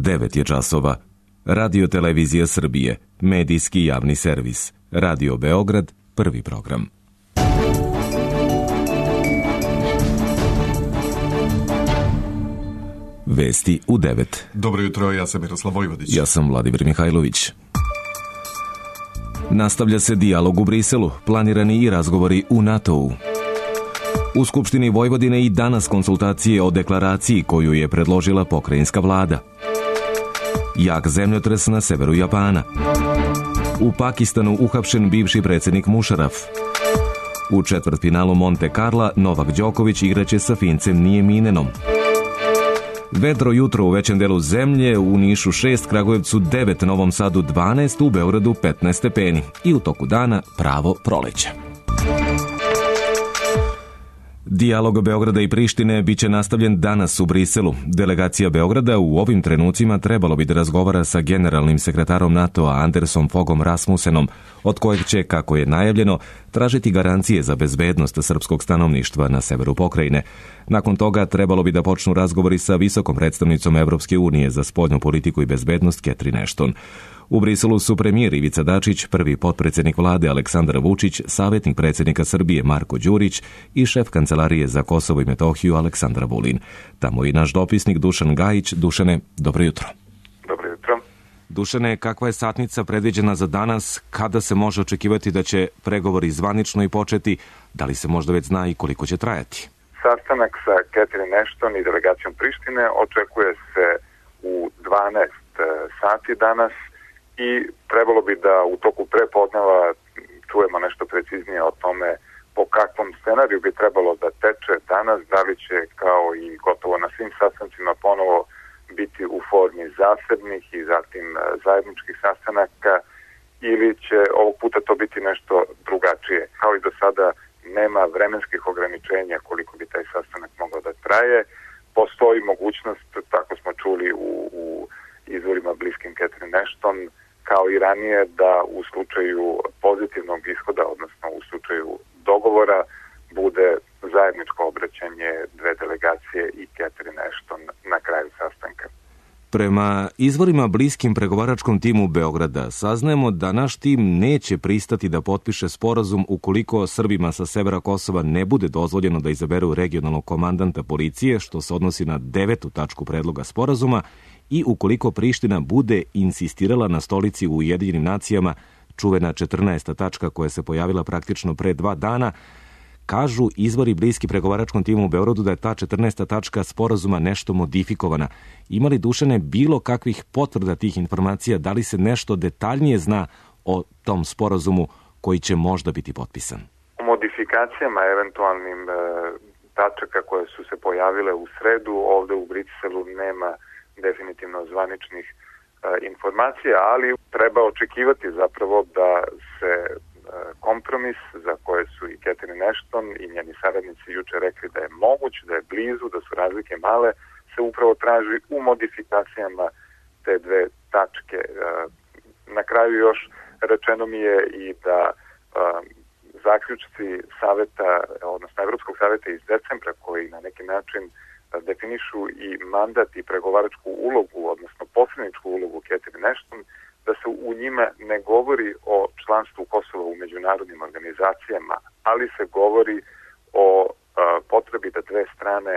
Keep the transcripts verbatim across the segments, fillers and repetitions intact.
devet je časova. Radio Televizija Srbije, medijski javni servis. Radio Beograd, prvi program. Vesti u devet. Dobro jutro, ja sam Miroslav Vojvodić. Ja sam Vladimir Mihajlović. Nastavlja se dijalog u Briselu, planirani i razgovori u NATO-u. U Skupštini Vojvodine i danas konsultacije o deklaraciji koju je predložila pokrajinska vlada. Jak zemljotres na severu Japana. U Pakistanu uhapšen bivši predsjednik Mušaraf. U četvrtfinalu Monte Carla Novak Đoković igraće sa Fincem Nijeminenom. Vedro jutro u većem delu zemlje, u Nišu šest, Kragujevcu devet, Novom Sadu dvanaest, u Beogradu petnaest stepeni. I u toku dana pravo proleće. Dijalog Beograda i Prištine biće nastavljen danas u Briselu. Delegacija Beograda u ovim trenucima trebalo bi da razgovara sa generalnim sekretarom NATO-a Andersom Fogom Rasmussenom, od kojeg će, kako je najavljeno, tražiti garancije za bezbednost srpskog stanovništva na severu pokrajine. Nakon toga trebalo bi da počnu razgovori sa visokom predstavnicom Evropske unije za spoljnu politiku i bezbednost Catherine Ashton. U Briselu su premijer Ivica Dačić, prvi potpredsjednik vlade Aleksandar Vučić, savjetnik predsjednika Srbije Marko Đurić i šef Kancelarije za Kosovo i Metohiju Aleksandar Vulin. Tamo i naš dopisnik Dušan Gajić. Dušane, dobro jutro. Dobro jutro. Dušane, kakva je satnica predviđena za danas? Kada se može očekivati da će pregovori zvanično i početi? Da li se možda već zna i koliko će trajati? Sastanak sa Catherine Ashton i delegacijom Prištine očekuje se u dvanaest sati danas i trebalo bi da u toku prepodneva čujemo nešto preciznije o tome po kakvom scenariju bi trebalo da teče danas, da li će kao i gotovo na svim sastancima ponovo biti u formi zasebnih i zatim zajedničkih sastanaka ili će ovog puta to biti nešto drugačije. Kao i do sada nema vremenskih ograničenja koliko bi taj sastanak mogao da traje. Postoji mogućnost, tako smo čuli u, u izvorima bliskim Catherine Ashton, kao i ranije, da u slučaju pozitivnog ishoda, odnosno u slučaju dogovora, bude zajedničko obraćanje dve delegacije i Catherine Ashton na kraju sastanka. Prema izvorima bliskim pregovaračkom timu Beograda, saznajemo da naš tim neće pristati da potpiše sporazum ukoliko Srbima sa severa Kosova ne bude dozvoljeno da izaberu regionalnog komandanta policije, što se odnosi na devetu tačku predloga sporazuma, i ukoliko Priština bude insistirala na stolici u Ujedinjenim nacijama, čuvena četrnaesta tačka koja se pojavila praktično pre dva dana. Kažu izvori bliski pregovaračkom timu u Beogradu da je ta četrnaesta tačka sporazuma nešto modifikovana. Ima li, Dušane, bilo kakvih potvrda tih informacija? Da li se nešto detaljnije zna o tom sporazumu koji će možda biti potpisan? O modifikacijama eventualnim e, tačaka koje su se pojavile u sredu ovde u Briselu nema definitivno zvaničnih e, informacija, ali treba očekivati zapravo da se e, kompromis za koje su i Catherine Ashton i njeni saradnici juče rekli da je moguć, da je blizu, da su razlike male, se upravo traži u modifikacijama te dve tačke. E, na kraju još rečeno mi je i da e, zaključci saveta, odnosno Evropskog saveta iz decembra, koji na neki način definišu i mandat i pregovaračku ulogu, odnosno posredničku ulogu Catherine Ashton, da se u njima ne govori o članstvu Kosova u međunarodnim organizacijama, ali se govori o a, potrebi da dve strane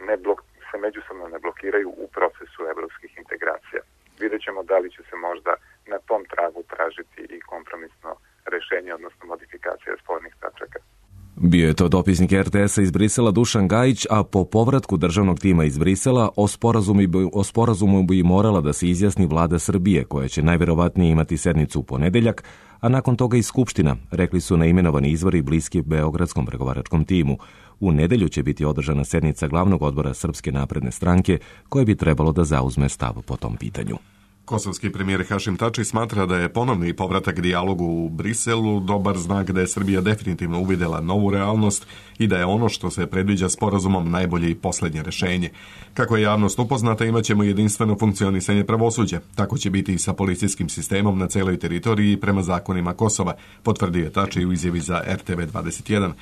ne blok, se međusobno ne blokiraju u procesu evropskih integracija. Vidjet ćemo da li će se možda na tom tragu tražiti i kompromisno rešenje, odnosno modifikacija spornih tačaka. Bio je to dopisnik er te es-a iz Brisela Dušan Gajić, a po povratku državnog tima iz Brisela o sporazumu, o sporazumu bi morala da se izjasni vlada Srbije, koja će najverovatnije imati sednicu u ponedeljak, a nakon toga i Skupština, rekli su naimenovani izvori bliski beogradskom pregovaračkom timu. U nedelju će biti održana sednica glavnog odbora Srpske napredne stranke, koje bi trebalo da zauzme stav po tom pitanju. Kosovski premijer Hašim Tači smatra da je ponovni povratak dijalogu u Briselu dobar znak da je Srbija definitivno uvidela novu realnost i da je ono što se predviđa sporazumom najbolje i posljednje rešenje. Kako je javnost upoznata, imat ćemo jedinstveno funkcionisanje pravosuđa. Tako će biti i sa policijskim sistemom na celoj teritoriji prema zakonima Kosova, potvrdio je Tači u izjavi za er te ve dvadeset jedan.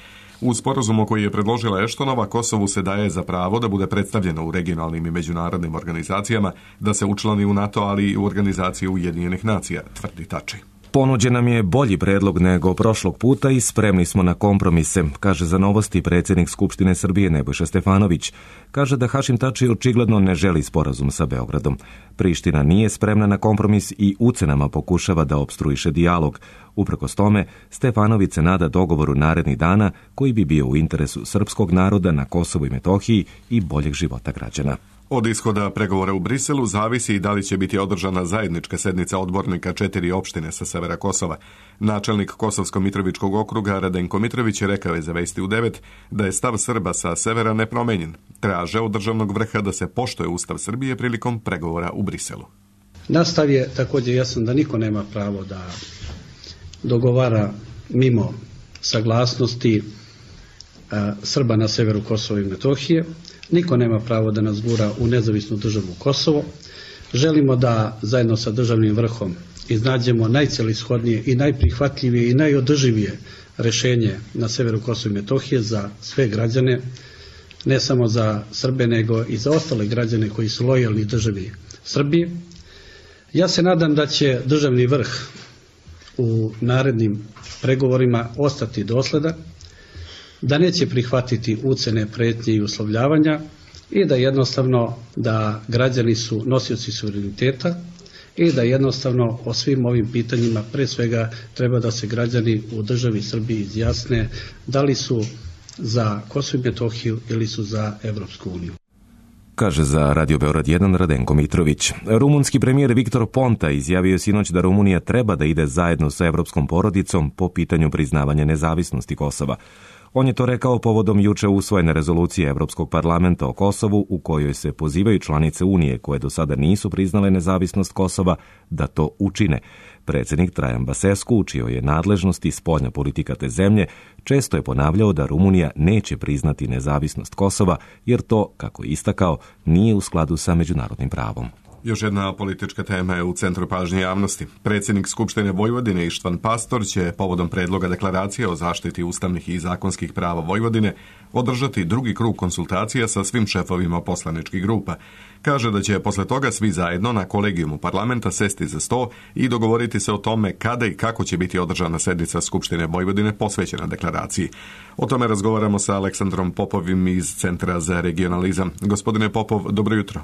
U sporazumu koji je predložila Eštonova, Kosovu se daje za pravo da bude predstavljeno u regionalnim i međunarodnim organizacijama, da se učlani u NATO, ali i u organizaciju Ujedinjenih nacija, tvrdi Tači. Ponuđen nam je bolji predlog nego prošlog puta i spremni smo na kompromise, kaže za Novosti predsjednik Skupštine Srbije Nebojša Stefanović. Kaže da Hašim Tači očigledno ne želi sporazum sa Beogradom. Priština nije spremna na kompromis i ucenama pokušava da opstruiše dijalog. Uprkos tome, Stefanović se nada dogovoru narednih dana koji bi bio u interesu srpskog naroda na Kosovu i Metohiji i boljeg života građana. Od ishoda pregovora u Briselu zavisi i da li će biti održana zajednička sednica odbornika četiri opštine sa severa Kosova. Načelnik Kosovsko-Mitrovičkog okruga Radenko Mitrović rekao je za Vesti u devet da je stav Srba sa severa nepromenjen. Traže od državnog vrha da se poštuje Ustav Srbije prilikom pregovora u Briselu. Nastav je također jasan da niko nema pravo da dogovara mimo saglasnosti a, Srba na severu Kosova i Metohije. Niko nema pravo da nas gura u nezavisnu državu Kosovo. Želimo da zajedno sa državnim vrhom iznađemo najcelishodnije i najprihvatljivije i najodrživije rešenje na severu Kosova i Metohije za sve građane, ne samo za Srbe, nego i za ostale građane koji su lojalni državi Srbije. Ja se nadam da će državni vrh u narednim pregovorima ostati dosledan, da neće prihvatiti ucene, pretnje i uslovljavanja i da jednostavno da građani su nosioci suvereniteta i da jednostavno o svim ovim pitanjima pre svega treba da se građani u državi Srbiji izjasne da li su za Kosovo i Metohiju ili su za Evropsku uniju. Kaže za Radio Beograd jedan Radenko Mitrović. Rumunski premijer Viktor Ponta izjavio je sinoć da Rumunija treba da ide zajedno sa evropskom porodicom po pitanju priznavanja nezavisnosti Kosova. On je to rekao povodom juče usvojene rezolucije Evropskog parlamenta o Kosovu u kojoj se pozivaju članice Unije koje do sada nisu priznale nezavisnost Kosova da to učine. Predsjednik Trajan Basescu, u čijoj je nadležnosti spoljna politika te zemlje, često je ponavljao da Rumunija neće priznati nezavisnost Kosova jer to, kako je istakao, nije u skladu sa međunarodnim pravom. Još jedna politička tema je u centru pažnje javnosti. Predsjednik Skupštine Vojvodine Ištvan Pastor će povodom predloga deklaracije o zaštiti ustavnih i zakonskih prava Vojvodine održati drugi krug konsultacija sa svim šefovima poslaničkih grupa. Kaže da će posle toga svi zajedno na kolegijumu parlamenta sesti za sto i dogovoriti se o tome kada i kako će biti održana sednica Skupštine Vojvodine posvećena deklaraciji. O tome razgovaramo sa Aleksandrom Popovim iz Centra za regionalizam. Gospodine Popov, dobro jutro.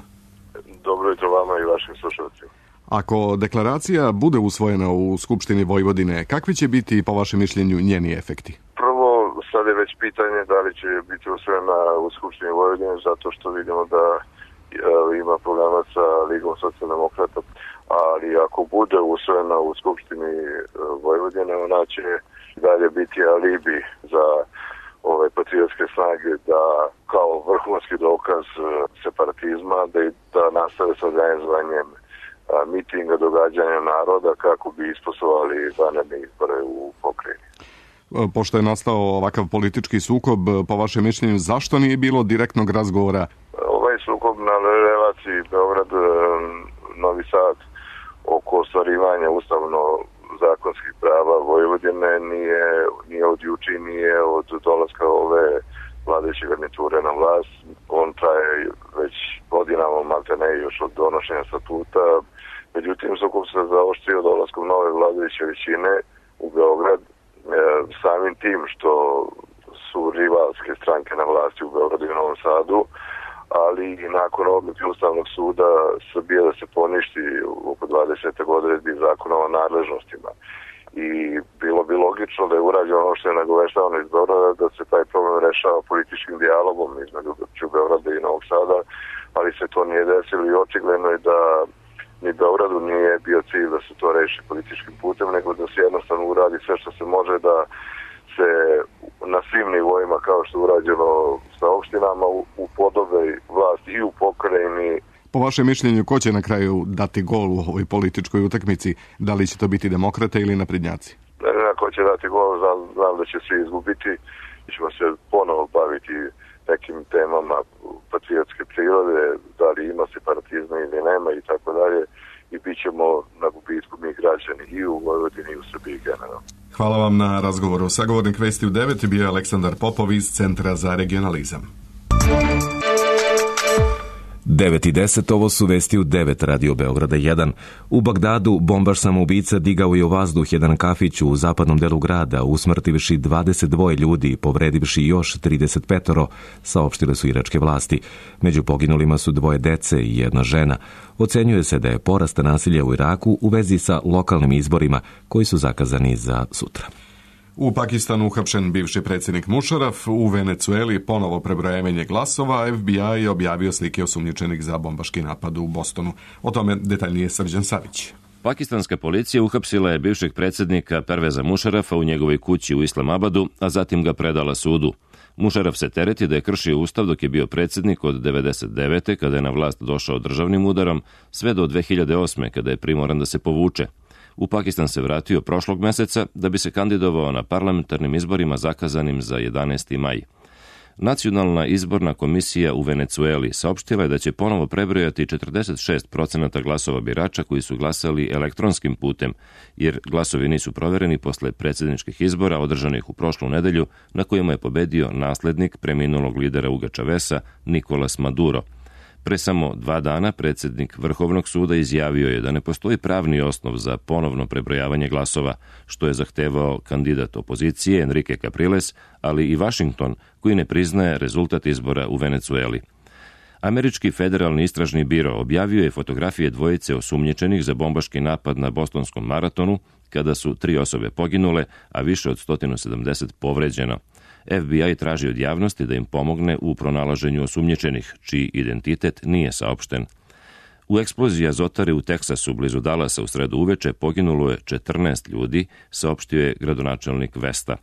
Dobro jutro vama i vašim slušalcima. Ako deklaracija bude usvojena u Skupštini Vojvodine, kakvi će biti, po vašem mišljenju, njeni efekti? Prvo, sad je već pitanje da li će biti usvojena u Skupštini Vojvodine, zato što vidimo da e, ima problema sa Ligom socijaldemokrata, ali ako bude usvojena u Skupštini Vojvodine, ona će dalje biti alibi za ove patriotske snage da kao vrhunski dokaz separatizma da, da nastave sa organizovanjem mitinga, događanja naroda kako bi isposlovali vanredne izbore u pokrajini. Pošto je nastao ovakav politički sukob, po vašem mišljenju, zašto nije bilo direktnog razgovora? Ovaj sukob na relaciji Beograd-Novi Sad oko ostvarivanja ustavno zakonskih prava Vojvodine nije, nije od juče, nije od dolaska ove vladajuće garniture na vlast. On traje već godinama, maltene još od donošenja statuta. Međutim, sukob se zaoštrio dolaskom nove vladajuće većine u Beograd, e, samim tim što su rivalske stranke na vlasti u Beogradu i Novom Sadu, ali i nakon odluke Ustavnog suda Srbije da se poništi oko dvadeset odredbi zakona o nadležnostima. I bilo bi logično da je urađeno ono što je nagoveštavano iz Beograda, da se taj problem rešava političkim dijalogom između Beograda i Novog Sada, ali se to nije desilo i očigledno je da ni Beogradu nije bio cilj da se to reši političkim putem, nego da se jednostavno uradi sve što se može da se na svim nivoima, kao što je urađeno sa opštinama, upodobe vlast i u pokrajini. Po vašem mišljenju, ko će na kraju dati gol u ovoj političkoj utakmici? Da li će to biti demokrate ili naprednjaci? Ne znam ko će dati gol, znam, znam da će svi izgubiti. Mi ćemo se ponovo baviti nekim temama patriotske prirode, da li ima separatizma ili nema i tako dalje. i bit ćemo na gubitku mi građani i u Vojvodini i u Srbiji generalno. Hvala vam na razgovoru. Sagovornik Vesti u devet bio je Aleksandar Popov iz Centra za regionalizam. devet i deset, ovo su Vesti u devet Radio Beograda jedan. U Bagdadu bombaš samoubica digao je u vazduh jedan kafić u zapadnom delu grada, usmrtivši dvadeset dva ljudi i povredivši još trideset pet, saopštile su iračke vlasti. Među poginulima su dvoje dece i jedna žena. Ocenjuje se da je porast nasilja u Iraku u vezi sa lokalnim izborima koji su zakazani za sutra. U Pakistanu uhapšen bivši predsjednik Mušaraf, u Venecueli ponovo prebrojavanje glasova, F B I je objavio slike osumnjičenih za bombaški napad u Bostonu. O tome detaljnije Srđan Savić. Pakistanska policija uhapsila je bivšeg predsjednika Perveza Mušarafa u njegovoj kući u Islamabadu, a zatim ga predala sudu. Mušaraf se tereti da je kršio ustav dok je bio predsjednik od devedeset devete kada je na vlast došao državnim udarom, sve do dve hiljade osme kada je primoran da se povuče. U Pakistan se vratio prošlog meseca da bi se kandidovao na parlamentarnim izborima zakazanim za jedanaesti maj. Nacionalna izborna komisija u Venecueli saopštila je da će ponovo prebrojati četrdeset šest procenata glasova birača koji su glasali elektronskim putem, jer glasovi nisu provereni posle predsjedničkih izbora održanih u prošlu nedelju na kojima je pobedio naslednik preminulog lidera Huga Chavesa Nicolas Maduro. Pre samo dva dana predsjednik Vrhovnog suda izjavio je da ne postoji pravni osnov za ponovno prebrojavanje glasova, što je zahtevao kandidat opozicije Enrique Capriles, ali i Washington, koji ne priznaje rezultat izbora u Venecueli. Američki federalni istražni biro objavio je fotografije dvojice osumnjičenih za bombaški napad na bostonskom maratonu, kada su tri osobe poginule, a više od sto sedamdeset povređeno. F B I traži od javnosti da im pomogne u pronalaženju osumnjičenih, čiji identitet nije saopšten. U eksploziji azotare u Teksasu blizu Dallasa u sredu uveče poginulo je četrnaest ljudi, saopštio je gradonačelnik Vesta.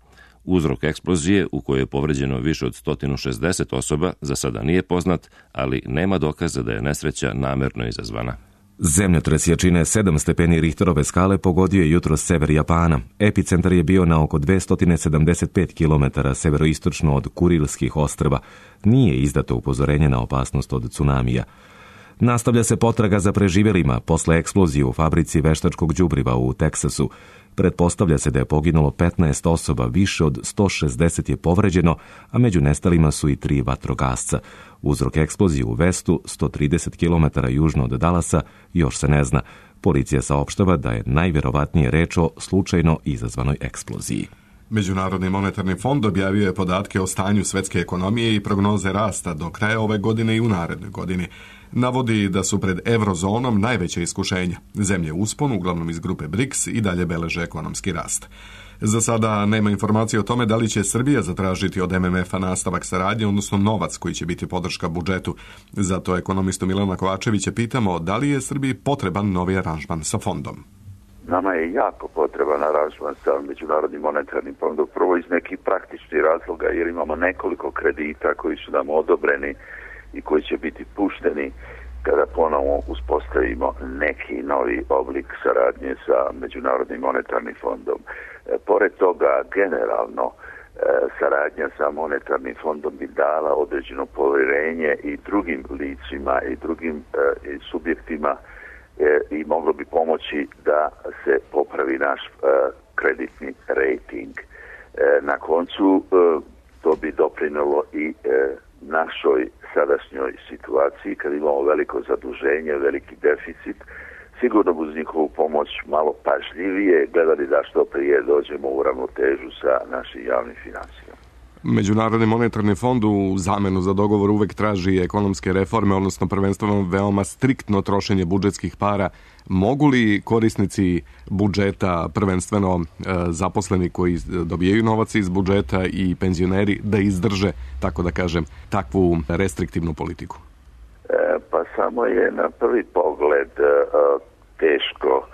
Uzrok eksplozije, u kojoj je povređeno više od sto šezdeset osoba, za sada nije poznat, ali nema dokaza da je nesreća namerno izazvana. Zemljotres jačine sedam stepeni Richterove skale pogodio je jutros sever Japana. Epicentar je bio na oko dvesta sedamdeset pet kilometara severoistočno od Kurilskih ostrva. Nije izdato upozorenje na opasnost od tsunamija. Nastavlja se potraga za preživjelima posle eksplozije u fabrici veštačkog đubriva u Teksasu. Pretpostavlja se da je poginulo petnaest osoba, više od sto šezdeset je povređeno, a među nestalima su i tri vatrogasca. Uzrok eksplozije u Vestu, sto trideset kilometara južno od Dallasa, još se ne zna. Policija saopštava da je najvjerovatnije reč o slučajno izazvanoj eksploziji. Međunarodni monetarni fond objavio je podatke o stanju svetske ekonomije i prognoze rasta do kraja ove godine i u narednoj godini. Navodi da su pred eurozonom najveće iskušenja. Zemlje uspon, uglavnom iz grupe BRICS, i dalje beleže ekonomski rast. Za sada nema informacije o tome da li će Srbija zatražiti od M M F-a nastavak saradnje, odnosno novac koji će biti podrška budžetu. Zato ekonomistu Milana Kovačevića pitamo da li je Srbiji potreban novi aranžman sa fondom. Nama je jako potreban aranžman sa Međunarodnim monetarnim fondom, prvo iz nekih praktičnih razloga, jer imamo nekoliko kredita koji su nam odobreni i koji će biti pušteni kada ponovo uspostavimo neki novi oblik saradnje sa Međunarodnim monetarnim fondom. E, pored toga, generalno, e, saradnja sa monetarnim fondom bi dala određeno povjerenje i drugim licima i drugim e, i subjektima e, i moglo bi pomoći da se popravi naš e, kreditni rating. E, na koncu e, to bi doprinelo i e, našoj sadašnjoj situaciji, kad imamo veliko zaduženje, veliki deficit, sigurno uz njihovu pomoć malo pažljivije gledali da što prije dođemo u ravnotežu sa našim javnim financijama. Međunarodni monetarni fond u zamenu za dogovor uvek traži ekonomske reforme, odnosno prvenstveno veoma striktno trošenje budžetskih para. Mogu li korisnici budžeta, prvenstveno e, zaposleni koji dobijaju novac iz budžeta i penzioneri, da izdrže, tako da kažem, takvu restriktivnu politiku? E, pa samo je na prvi pogled e, teško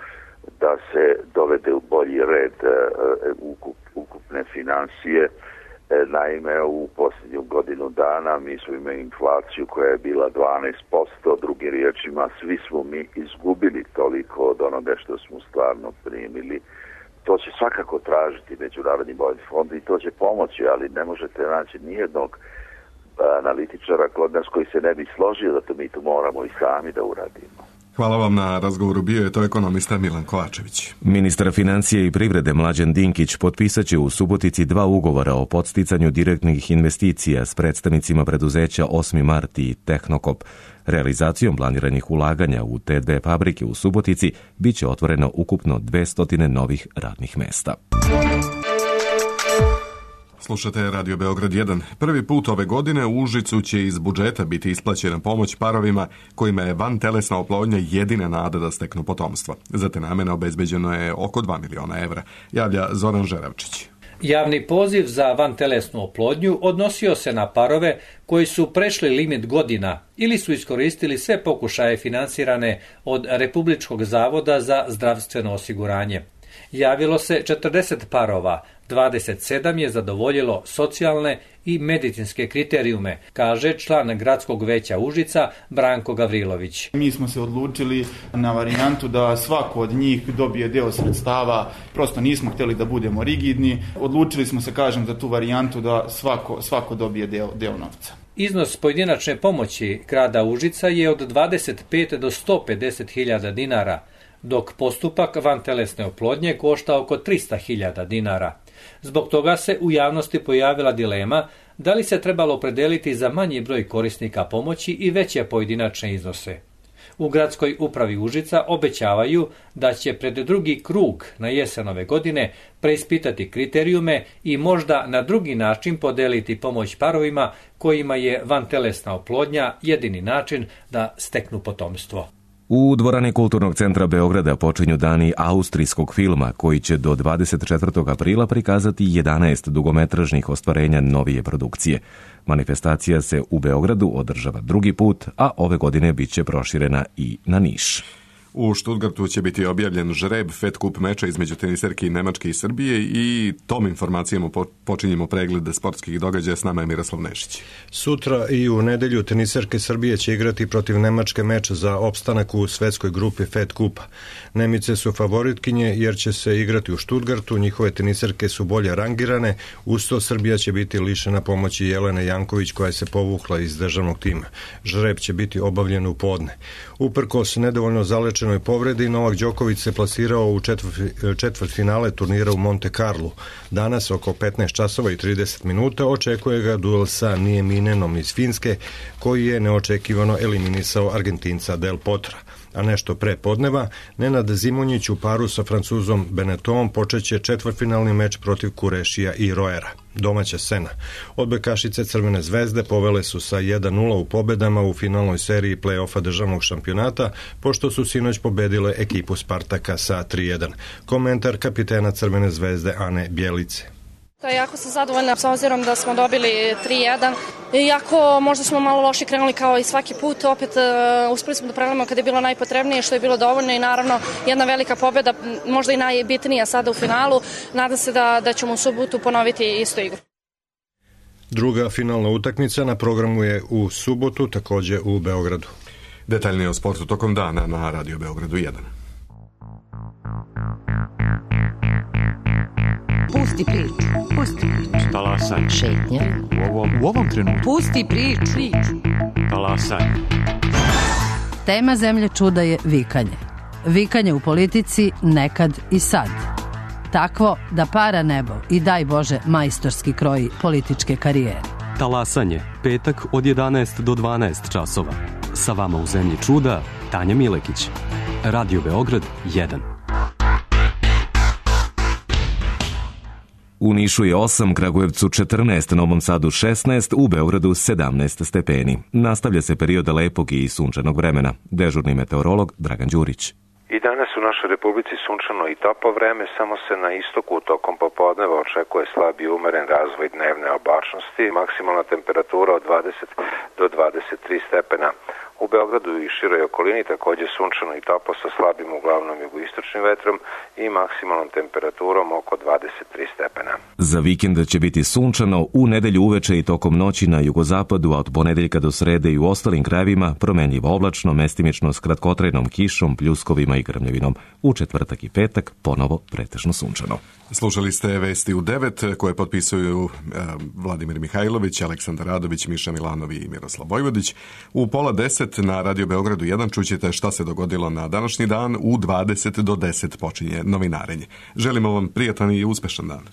da se dovede u bolji red e, ukup, ukupne financije. Naime, u posljednju godinu dana mi smo imali inflaciju koja je bila dvanaest posto, drugim riječima svi smo mi izgubili toliko od onoga što smo stvarno primili. To će svakako tražiti Međunarodni monetarni fond i to će pomoći, ali ne možete naći nijednog analitičara kod nas koji se ne bi složio da to mi to moramo i sami da uradimo. Hvala vam na razgovoru, bio je to ekonomista Milan Kovačević. Ministar financije i privrede Mlađan Dinkić potpisat će u Subotici dva ugovora o podsticanju direktnih investicija s predstavnicima preduzeća osmi mart i Tehnokop. Realizacijom planiranih ulaganja u te dve fabrike u Subotici biće otvoreno ukupno dvesta novih radnih mesta. Slušate Radio Beograd jedan. Prvi put ove godine u Užicu će iz budžeta biti isplaćena pomoć parovima kojima je vantelesna oplodnja jedina nada da steknu potomstvo. Za te namene obezbeđeno je oko dva miliona evra, javlja Zoran Žeravčić. Javni poziv za vantelesnu oplodnju odnosio se na parove koji su prešli limit godina ili su iskoristili sve pokušaje finansirane od Republičkog zavoda za zdravstveno osiguranje. Javilo se četrdeset parova, dvadeset sedam je zadovoljilo socijalne i medicinske kriterijume, kaže član Gradskog veća Užica Branko Gavrilović. Mi smo se odlučili na varijantu da svako od njih dobije deo sredstava, prosto nismo htjeli da budemo rigidni, odlučili smo se, kažem, za tu varijantu da svako, svako dobije deo, deo novca. Iznos pojedinačne pomoći grada Užica je od dvadeset pet do sto pedeset hiljada dinara, dok postupak vantelesne oplodnje košta oko trista hiljada dinara. Zbog toga se u javnosti pojavila dilema da li se trebalo opredeliti za manji broj korisnika pomoći i veće pojedinačne iznose. U gradskoj upravi Užica obećavaju da će pred drugi krug na jesen ove godine preispitati kriterijume i možda na drugi način podeliti pomoć parovima kojima je vantelesna oplodnja jedini način da steknu potomstvo. U dvorani Kulturnog centra Beograda počinju dani austrijskog filma koji će do dvadeset četvrtog aprila prikazati jedanaest dugometražnih ostvarenja novije produkcije. Manifestacija se u Beogradu održava drugi put, a ove godine bit će proširena i na Niš. U Stuttgartu će biti objavljen žreb Fed Cup meča između teniserke Nemačke i Srbije i tom informacijom počinjemo pregled sportskih događaja. S nama je Miroslav Nešić. Sutra i u nedelju teniserke Srbije će igrati protiv Nemačke meč za opstanak u svetskoj grupi Fed Cupa. Nemice su favoritkinje jer će se igrati u Stuttgartu, njihove teniserke su bolje rangirane, usto Srbija će biti lišena pomoći Jelene Janković koja se povukla iz državnog tima. Žreb će biti obavljen u podne. Uprkos nedovoljno zalečenoj povredi, Novak Đoković se plasirao u četvrt, četvrt finale turnira u Monte Carlo. Danas oko petnaest časova i trideset minuta očekuje ga duel sa Nieminenom iz Finske, koji je neočekivano eliminisao Argentinca Del Potra. A nešto pre podneva, Nenad Zimonjić u paru sa Francuzom Benetom počeće četvrtfinalni meč protiv Kurešija i Roera. Domaća scena. Odbojkašice Crvene zvezde povele su sa jedan nula u pobedama u finalnoj seriji play-offa državnog šampionata, pošto su sinoć pobedile ekipu Spartaka sa tri jedan. Komentar kapitena Crvene zvezde Ane Bjelice. Jako sam zadovoljna s obzirom da smo dobili tri jedan. Iako možda smo malo loše krenuli kao i svaki put, opet uh, uspeli smo da prelomimo kada je bilo najpotrebnije, što je bilo dovoljno i naravno jedna velika pobjeda, možda i najbitnija sada u finalu. Nadam se da, da ćemo u subotu ponoviti istu igru. Druga finalna utakmica na programu je u subotu, takođe u Beogradu. Detaljnije o sportu tokom dana na Radio Beogradu jedan. Pusti priču, pusti priču. Talasaj. Šetnja. U ovom, u ovom trenutku. Pusti priču. Talasaj. Tema Zemlje čuda je vikanje. Vikanje u politici nekad i sad. Takvo da para nebo i daj Bože majstorski kroji političke karijere. Talasanje, petak od jedanaest do dvanaest časova. Sa vama u Zemlji čuda, Tanja Milekić. Radio Beograd jedan. U Nišu je osam, Kragujevcu četrnaest, Novom Sadu šesnaest, u Beogradu sedamnaest stepeni. Nastavlja se period lepog i sunčanog vremena. Dežurni meteorolog Dragan Đurić. I danas u našoj Republici sunčano i toplo vreme, samo se na istoku tokom popodneva očekuje slab i umeren razvoj dnevne oblačnosti, maksimalna temperatura od dvadeset do dvadeset tri stepena. U Beogradu i široj okolini takođe sunčano i toplo sa slabim uglavnom jugoistočnim vetrom i maksimalnom temperaturom oko dvadeset tri stepena. Za vikend će biti sunčano, u nedelju uveče i tokom noći na jugozapadu, a od ponedeljka do srede i u ostalim krajevima promenljivo oblačno, mestimično s kratkotrajnom kišom, pljuskovima i grmljavinom. U četvrtak i petak ponovo pretežno sunčano. Slušali ste Vesti u devet koje potpisuju e, Vladimir Mihajlović, Aleksandar Radović, Miša Milanovi i Miroslav Vojvodić. U pola deset na Radio Beogradu jedan čućete šta se dogodilo na današnji dan. U dvadeset do deset počinje novinarenje. Želimo vam prijatan i uspešan dan.